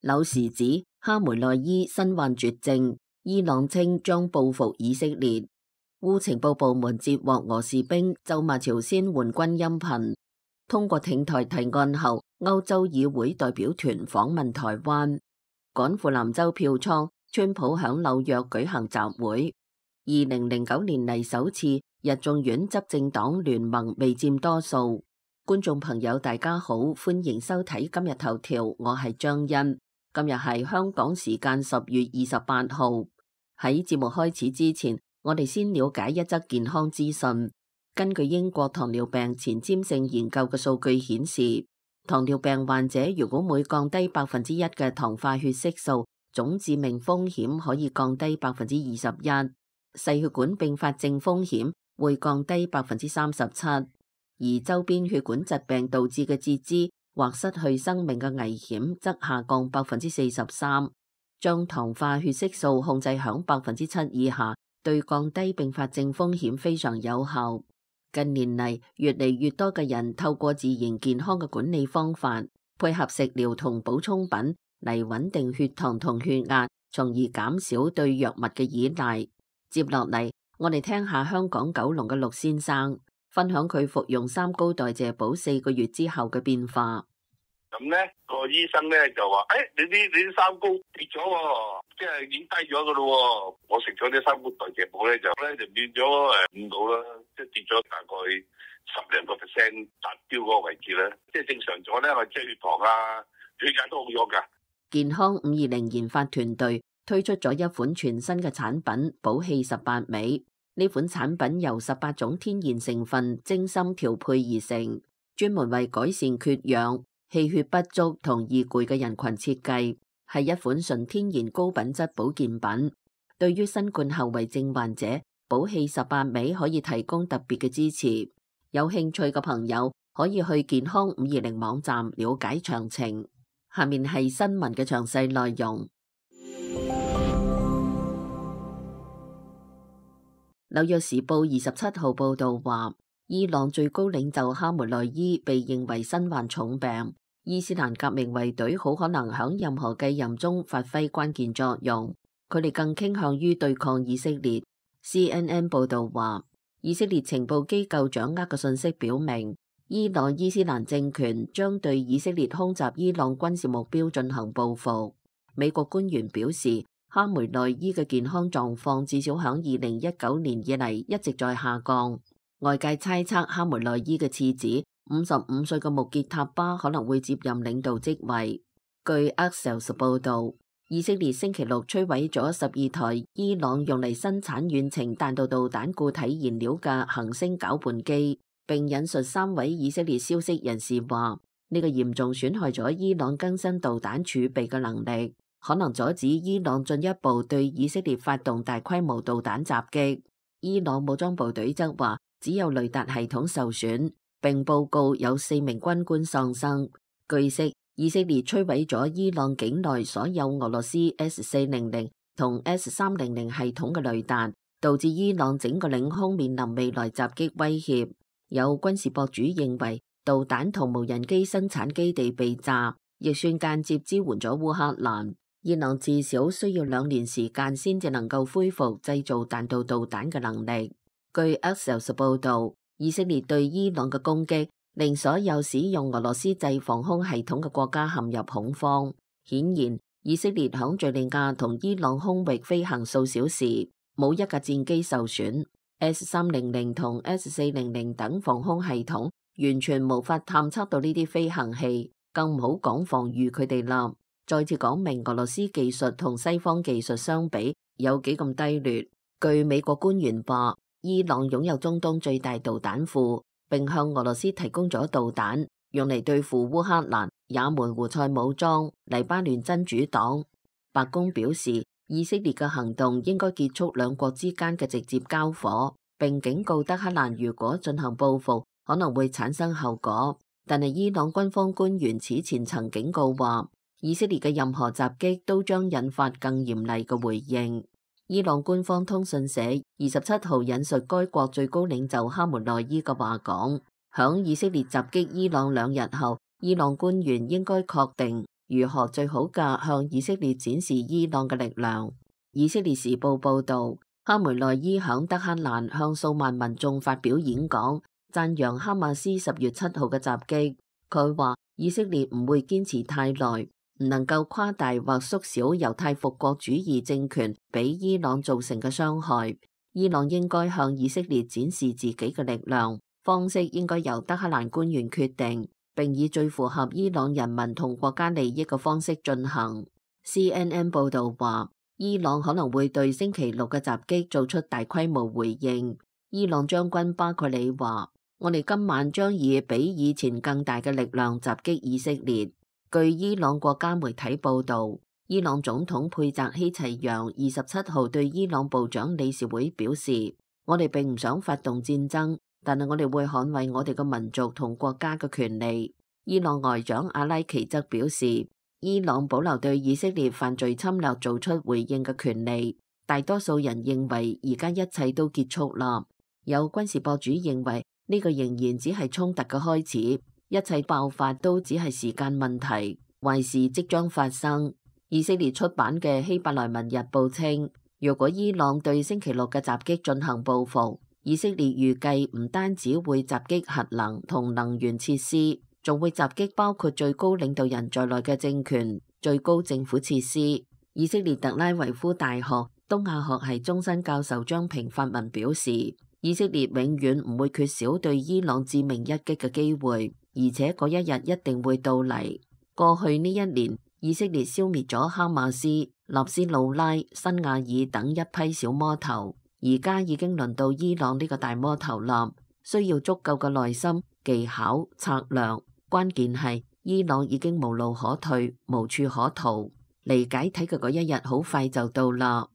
紐時指哈梅內伊身患絕症，伊朗稱將報復以色列。烏情報部門接獲俄士兵咒罵朝鮮援軍音頻。通過挺台提案後，歐洲議會代表團訪問台灣。趕赴南州票倉，川普響紐約舉行集會。2009年嚟首次，日眾院執政黨聯盟未佔多數。觀眾朋友大家好，歡迎收睇今日頭條，我係張欣。今日係香港時間10月28號。喺節目開始之前，我哋先了解一則健康資訊。根據英國糖尿病前瞻性研究嘅數據顯示，糖尿病患者如果每降低1%嘅糖化血色素，總致命風險可以降低21%，細血管併發症風險會降低37%，而周邊血管疾病導致嘅截肢或失去生命嘅危險則下降43%。將糖化血色素控制響7%以下，對降低併發症風險非常有效。近年嚟，越嚟越多嘅人透過自然健康嘅管理方法，配合食療同補充品嚟穩定血糖同血壓，從而減少對藥物嘅依賴。接落嚟，我哋聽下香港九龍嘅陸先生分享佢服用3高代謝寶4個月之後嘅變化。咁呢個醫生呢就話：你啲3高跌咗喎，即係已經低咗噶咯。我食咗啲3高代謝寶就變咗5度啦，即係跌咗大概10%達標嗰個位置啦。即係正常咗呢，我即係血糖啊、血壓都好咗噶。健康520研發團隊推出咗一款全新嘅產品寶氣18味。呢款產品由18種天然成分精心調配而成，專門為改善缺氧、氣血不足同易攰嘅人群設計，係一款純天然高品質保健品。對於新冠後遺症患者，寶氣18味可以提供特別嘅支持。有興趣嘅朋友可以去健康520網站了解詳情。下面係新聞嘅詳細內容。紐約時報27號報道話，伊朗最高領袖哈梅內伊被認為身患重病，伊斯蘭革命衛隊好可能響任何繼任中發揮關鍵作用。佢哋更傾向於對抗以色列。CNN 報道話，以色列情報機構掌握嘅信息表明，伊朗伊斯蘭政權將對以色列空襲伊朗軍事目標進行報復。美國官員表示，哈梅內伊嘅健康狀況至少響2019年以嚟一直在下降。外界猜測哈梅內伊嘅次子55歲嘅穆傑塔巴可能會接任領導職位。據 Axios 報道，以色列星期六摧毀咗12台伊朗用嚟生產遠程彈道導彈固體燃料嘅行星攪拌機，並引述3位以色列消息人士話，呢個嚴重損害咗伊朗更新導彈儲備嘅能力，可能阻止伊朗進一步對以色列發動大規模導彈襲擊。伊朗武裝部隊則話，只有雷達系統受損，並報告有4名軍官喪生。據悉，以色列摧毀咗伊朗境內所有俄羅斯 S400 同 S300 系統嘅雷達，導致伊朗整個領空面臨未來襲擊威脅。有軍事博主認為，導彈同無人機生產基地被炸，亦算間接支援咗烏克蘭。伊朗至少需要2年時間先至能夠恢復製造彈道導彈嘅能力。據 Axios 報道，以色列對伊朗嘅攻擊令所有使用俄羅斯製防空系統嘅國家陷入恐慌。顯然，以色列響敘利亞同伊朗空域飛行數小時，冇一架戰機受損。S300 同 S400 等防空系統完全無法探測到呢啲飛行器，更唔好講防禦佢哋啦。再次講明俄羅斯技術同西方技術相比有幾咁低劣。據美國官員話，伊朗擁有中東最大導彈庫，並向俄羅斯提供咗導彈，用嚟對付烏克蘭、也門胡塞武裝、黎巴嫩真主黨。白宮表示，以色列嘅行動應該結束兩國之間嘅直接交火，並警告德黑蘭如果進行報復，可能會產生後果。但係伊朗軍方官員此前曾警告話，以色列嘅任何襲擊都將引發更嚴厲嘅回應。伊朗官方通訊社27號引述該國最高領袖哈梅內伊嘅話講，響以色列襲擊伊朗2日後，伊朗官員應該確定如何最好嘅向以色列展示伊朗嘅力量。以色列時報報導，哈梅內伊響德黑蘭向數萬民眾發表演講，讚揚哈馬斯10月7號嘅襲擊。佢話以色列唔會堅持太耐，唔能夠誇大或縮小猶太復國主義政權俾伊朗造成嘅傷害。伊朗應該向以色列展示自己嘅力量，方式應該由德黑蘭官員決定，並以最符合伊朗人民同國家利益嘅方式進行。CNN 報導話，伊朗可能會對星期六嘅襲擊做出大規模回應。伊朗將軍巴蓋里話：我哋今晚將以比以前更大嘅力量襲擊以色列。據伊朗國家媒體報導，伊朗總統佩澤希齊揚27號對伊朗部長理事會表示：我哋並唔想發動戰爭，但係我哋會捍衛我哋嘅民族同國家嘅權利。伊朗外長阿拉奇則表示，伊朗保留對以色列犯罪侵略做出回應嘅權利。大多數人認為而家一切都結束啦。有軍事博主認為呢個仍然只係衝突嘅開始，一切爆發都只係時間問題，壞事即將發生。以色列出版嘅希伯來文日報稱，如果伊朗對星期六嘅襲擊進行報復，以色列預計唔單止會襲擊核能同能源設施，仲會襲擊包括最高領導人在內嘅政權、最高政府設施。以色列特拉維夫大學東亞學系終身教授張平發文表示，以色列永遠唔會缺少對伊朗致命一擊嘅機會，而且嗰一日一定會到嚟。過去呢一年，以色列消滅咗哈馬斯、納斯魯拉、辛亞爾等一批小魔頭，而家已經輪到伊朗呢個大魔頭啦，需要足夠嘅耐心、技巧、策略。關鍵係伊朗已經無路可退、無處可逃，離解體嘅嗰一日好快就到啦。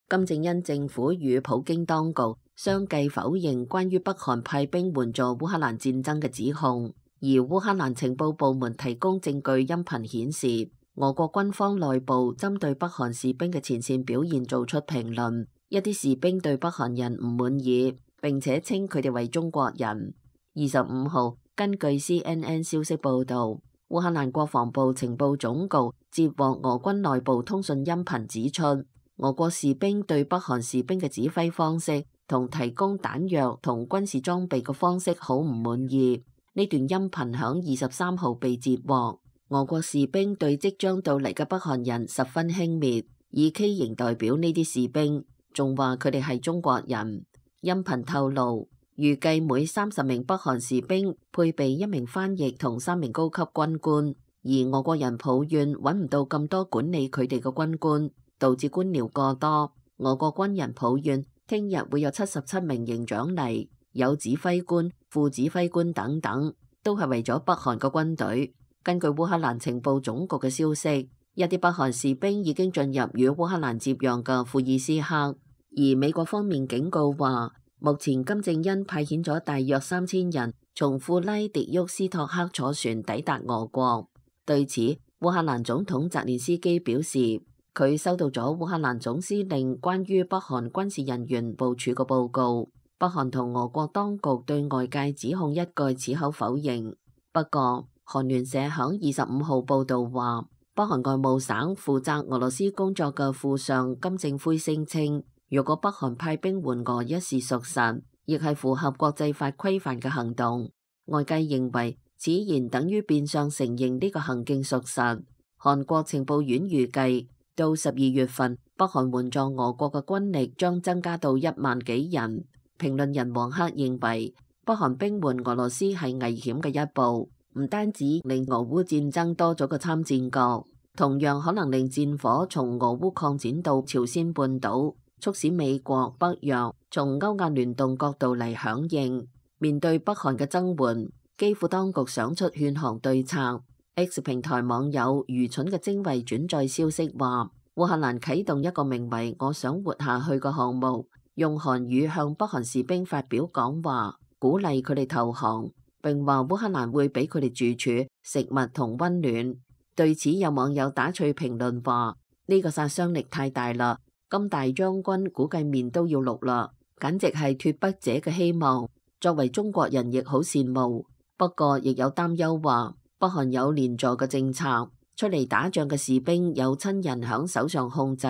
金正恩政府與普京當局相繼否認關於北韓派兵援助烏克蘭戰爭嘅指控，而烏克蘭情報部門提供證據音頻顯示，俄國軍方內部針對北韓士兵嘅前線表現做出評論，一啲士兵對北韓人唔滿意，並且稱佢哋為中國人。25號，根據 CNN 消息報導，烏克蘭國防部情報總局接獲俄軍內部通訊音頻指出，俄國士兵對北韓士兵嘅指揮方式同提供彈藥同軍事裝備嘅方式好唔滿意。呢段音頻響23號被截獲，俄國士兵對即將到嚟嘅北韓人十分輕蔑，以畸形代表呢啲士兵，仲話佢哋係中國人。音頻透露，預計每30名北韓士兵配備1名翻譯同3名高級軍官，而俄國人抱怨揾唔到咁多管理佢哋嘅軍官，導致官僚過多。俄國軍人抱怨聽日會有77名營長嚟，有指揮官、副指揮官等等，都係為咗北韓嘅軍隊。根據烏克蘭情報總局嘅消息，一啲北韓士兵已經進入與烏克蘭接壤嘅庫爾斯克。而美國方面警告話，目前金正恩派遣咗大約3000人從庫拉迪沃斯托克坐船抵達俄國。對此，烏克蘭總統澤連斯基表示，佢收到咗烏克蘭總司令關於北韓軍事人員部署嘅報告。北韓同俄國當局對外界指控一概矢口否認。不過，韓聯社響25號報導話，北韓外務省負責俄羅斯工作嘅副相金正輝聲稱，如果北韓派兵援俄一事屬實，亦係符合國際法規範嘅行動。外界認為此言等於變相承認呢個行徑屬實。韓國情報院預計到12月份，北韓援助俄國嘅軍力將增加到1萬幾人。評論人王克認為，北韓兵援俄羅斯係危險嘅一步，唔單止令俄烏戰爭多咗個參戰國，同樣可能令戰火從俄烏擴展到朝鮮半島，促使美國、北約從歐亞聯動角度嚟響應。面對北韓嘅增援，基輔當局想出勸降對策。X 平台網友愚蠢嘅精衛轉載消息話，烏克蘭啟動一個名為我想活下去嘅項目，用韓語向北韓士兵發表講話，鼓勵佢哋投降，並話烏克蘭會俾佢哋住處、食物同溫暖。對此有網友打趣評論話，呢個殺傷力太大啦，金大將軍估計面都要綠啦，簡直係脫北者嘅希望。作為中國人亦好羨慕。不過亦有擔憂話，北韓有連坐嘅政策，出嚟打仗嘅士兵有親人響手上控制，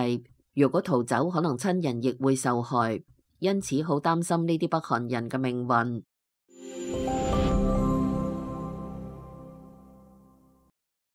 如果逃走，可能親人亦會受害，因此好擔心呢啲北韓人嘅命運。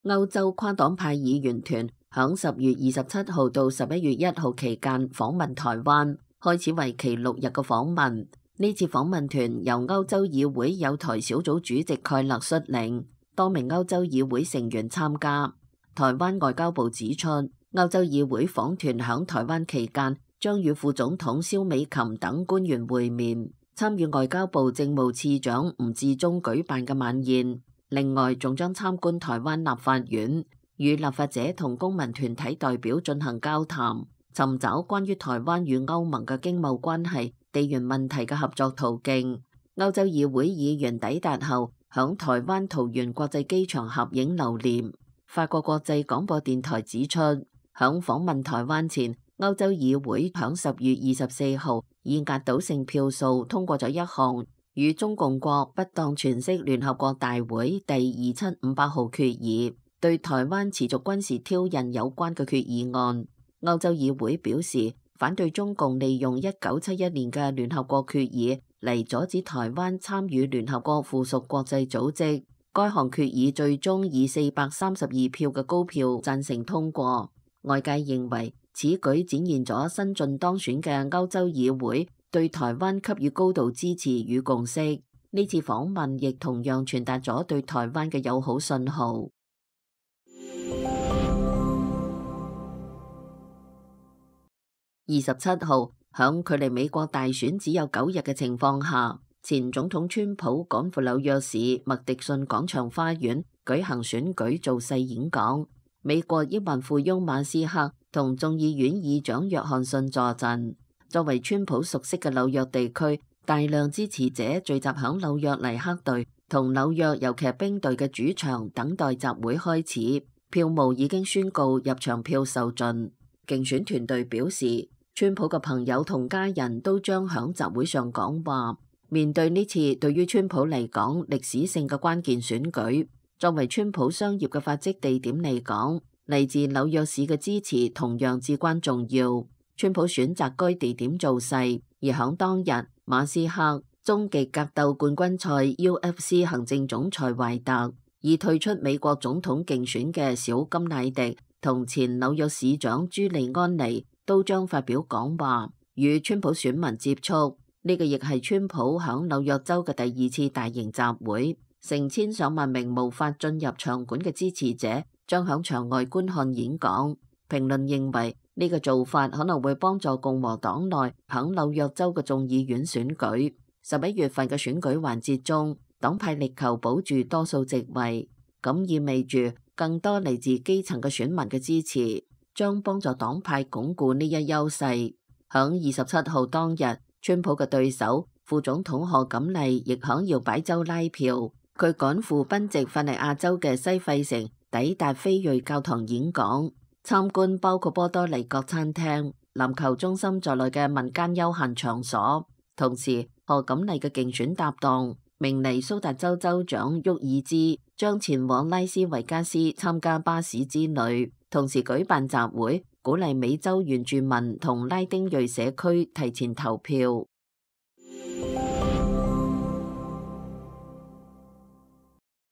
歐洲跨黨派議員團響10月27號到11月1號期間訪問台灣，開始為期6日嘅訪問。呢次訪問團由歐洲議會友台小組主席蓋勒率領，多名歐洲議會成員參加。台灣外交部指出，歐洲議會訪團響台灣期間將與副總統蕭美琴等官員會面，參與外交部政務次長吳志忠舉辦嘅晚宴。另外，仲將參觀台灣立法院，與立法者同公民團體代表進行交談，尋找關於台灣與歐盟嘅經貿關係、地緣問題嘅合作途徑。歐洲議會議員抵達後，響台灣桃園國際機場合影留念。法國國際廣播電台指出，響訪問台灣前，歐洲議會響10月24號以壓倒性票數通過咗一項與中共國不當詮釋聯合國大會第2758號決議，對台灣持續軍事挑釁有關嘅決議案。歐洲議會表示反對中共利用1971年嘅聯合國決議嚟阻止台灣參與聯合國附屬國際組織。該項決議最終以432票嘅高票贊成通過。外界認為此舉展現咗新晉當選嘅歐洲議會對台灣給予高度支持與共識。呢次訪問亦同樣傳達咗對台灣嘅友好信號。27號，響距離美國大選只有9日嘅情況下，前總統川普趕赴紐約市麥迪遜廣場花園舉行選舉造勢演講。美國億萬富翁馬斯克同眾議院議長約翰遜坐鎮。作為川普熟悉嘅紐約地區，大量支持者聚集響紐約尼克隊同紐約遊騎兵隊嘅主場等待集會開始。票務已經宣告入場票售盡。競選團隊表示，川普嘅朋友同家人都將響集會上講話。面對呢次對於川普嚟講歷史性嘅關鍵選舉，作為川普商業嘅發跡地點嚟講，嚟自紐約市嘅支持同樣至關重要。川普選擇該地點造勢，而響當日，馬斯克、終極格鬥冠軍賽 UFC 行政總裁懷特，已退出美國總統競選嘅小甘迺迪同前紐約市長朱利安尼都將發表講話，與川普選民接觸。呢個亦係川普響紐約州嘅第2次大型集會，成千上萬名無法進入場館嘅支持者將響場外觀看演講。評論認為呢個做法可能會幫助共和黨內響紐約州嘅眾議院選舉。11月份嘅選舉環節中，黨派力求保住多數席位，咁意味住更多嚟自基層嘅選民嘅支持，將幫助黨派鞏固呢一優勢。響27號當日，川普嘅對手副總統賀錦麗亦響搖擺州拉票，佢趕赴賓夕法尼亞州嘅西費城，抵達非裔教堂演講。參觀包括波多黎各餐廳、籃球中心在內嘅民間休閒場所。同時，賀錦麗嘅競選搭檔明尼蘇達州州長沃爾茲將前往拉斯維加斯參加巴士之旅，同時舉辦集會，鼓勵美洲原住民同拉丁裔社區提前投票。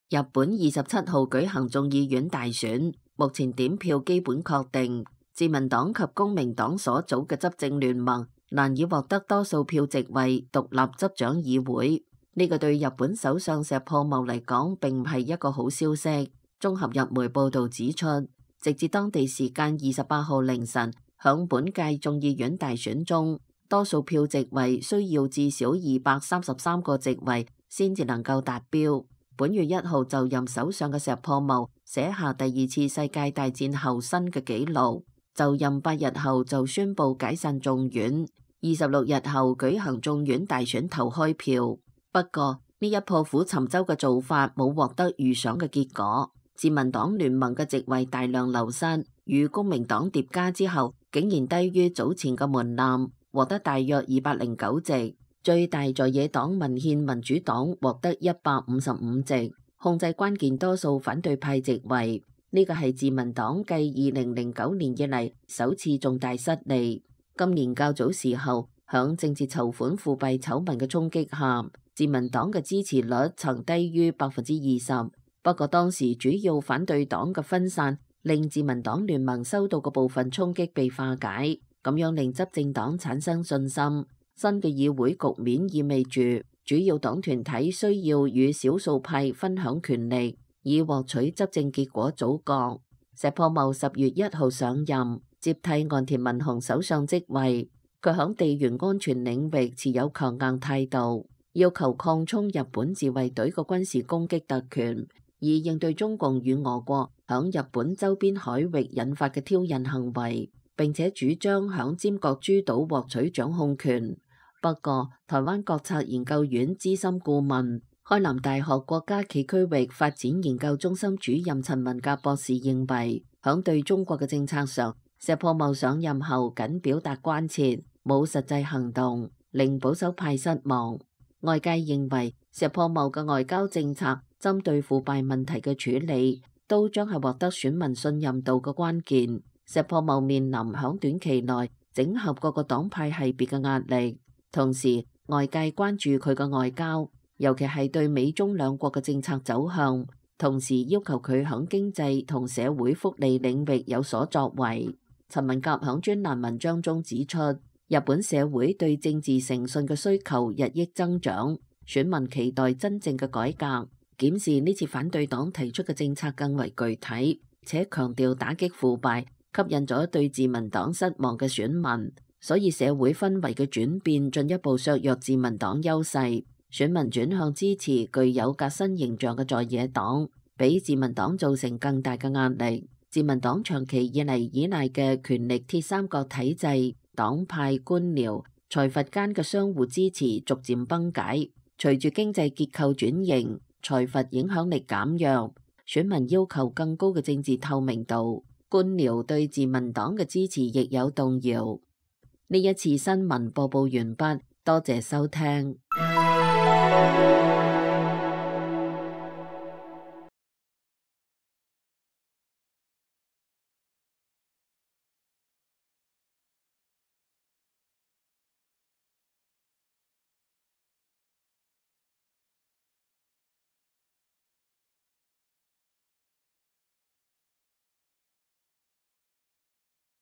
日本27號舉行眾議院大選，目前點票基本確定，自民黨及公明黨所組嘅執政聯盟難以獲得多數票席位獨立執掌議會。呢個對日本首相石破茂嚟講並唔係一個好消息。綜合日媒報導指出，直至當地時間28號凌晨，響本屆眾議院大選中，多數票席位需要至少233個席位先至能夠達標。本月1號就任首相嘅石破茂寫下第2次世界大戰後新嘅紀錄，就任8日後就宣布解散眾院，26日後舉行眾院大選投開票。不過呢一破釜沉舟嘅做法冇獲得預想嘅結果，自民黨聯盟嘅席位大量流失，與公明黨疊加之後，竟然低於早前嘅門檻，獲得大約209席。最大在野黨民憲民主黨獲得155席，控制關鍵多數反對派席位。呢個係自民黨繼2009年以嚟首次重大失利。今年較早時候，響政治籌款腐敗醜聞嘅衝擊下，自民黨嘅支持率曾低於20%。不過當時主要反對黨嘅分散，令自民黨聯盟收到嘅部分衝擊被化解，咁樣令執政黨產生信心。新嘅議會局面意味住主要黨團體需要與少數派分享權力，以獲取執政結果組閣。石破茂10月1號上任，接替岸田文雄首相職位。佢響地緣安全領域持有強硬態度，要求擴充日本自衛隊嘅軍事攻擊特權，以應對中共與俄國響日本周邊海域引發嘅挑釁行為，並且主張響尖閣諸島獲取掌控權。不過，台灣國策研究院資深顧問、開南大學國家暨區域發展研究中心主任陳文甲博士認為，響對中國嘅政策上，石破茂上任後僅表達關切，冇實際行動，令保守派失望。外界認為，石破茂嘅外交政策針對腐敗問題嘅處理，都將係獲得選民信任度嘅關鍵。石破茂面臨響短期內整合各個黨派系別嘅壓力。同時，外界關注佢嘅外交，尤其係對美中兩國嘅政策走向，同時要求佢響經濟同社會福利領域有所作為。陳文甲響專欄文章中指出，日本社會對政治誠信嘅需求日益增長，選民期待真正嘅改革。檢視呢次反對黨提出嘅政策更為具體，且強調打擊腐敗，吸引咗對自民黨失望嘅選民。所以社會氛圍嘅轉變進一步削弱自民黨優勢，選民轉向支持具有革新形象嘅在野黨，俾自民黨造成更大嘅壓力。自民黨長期以嚟依賴嘅權力鐵三角體制、黨派、官僚、財閥間嘅相互支持逐漸崩解。隨住經濟結構轉型，財閥影響力減弱，選民要求更高嘅政治透明度，官僚對自民黨嘅支持亦有動搖。呢一次新聞播報完畢，多謝收聽。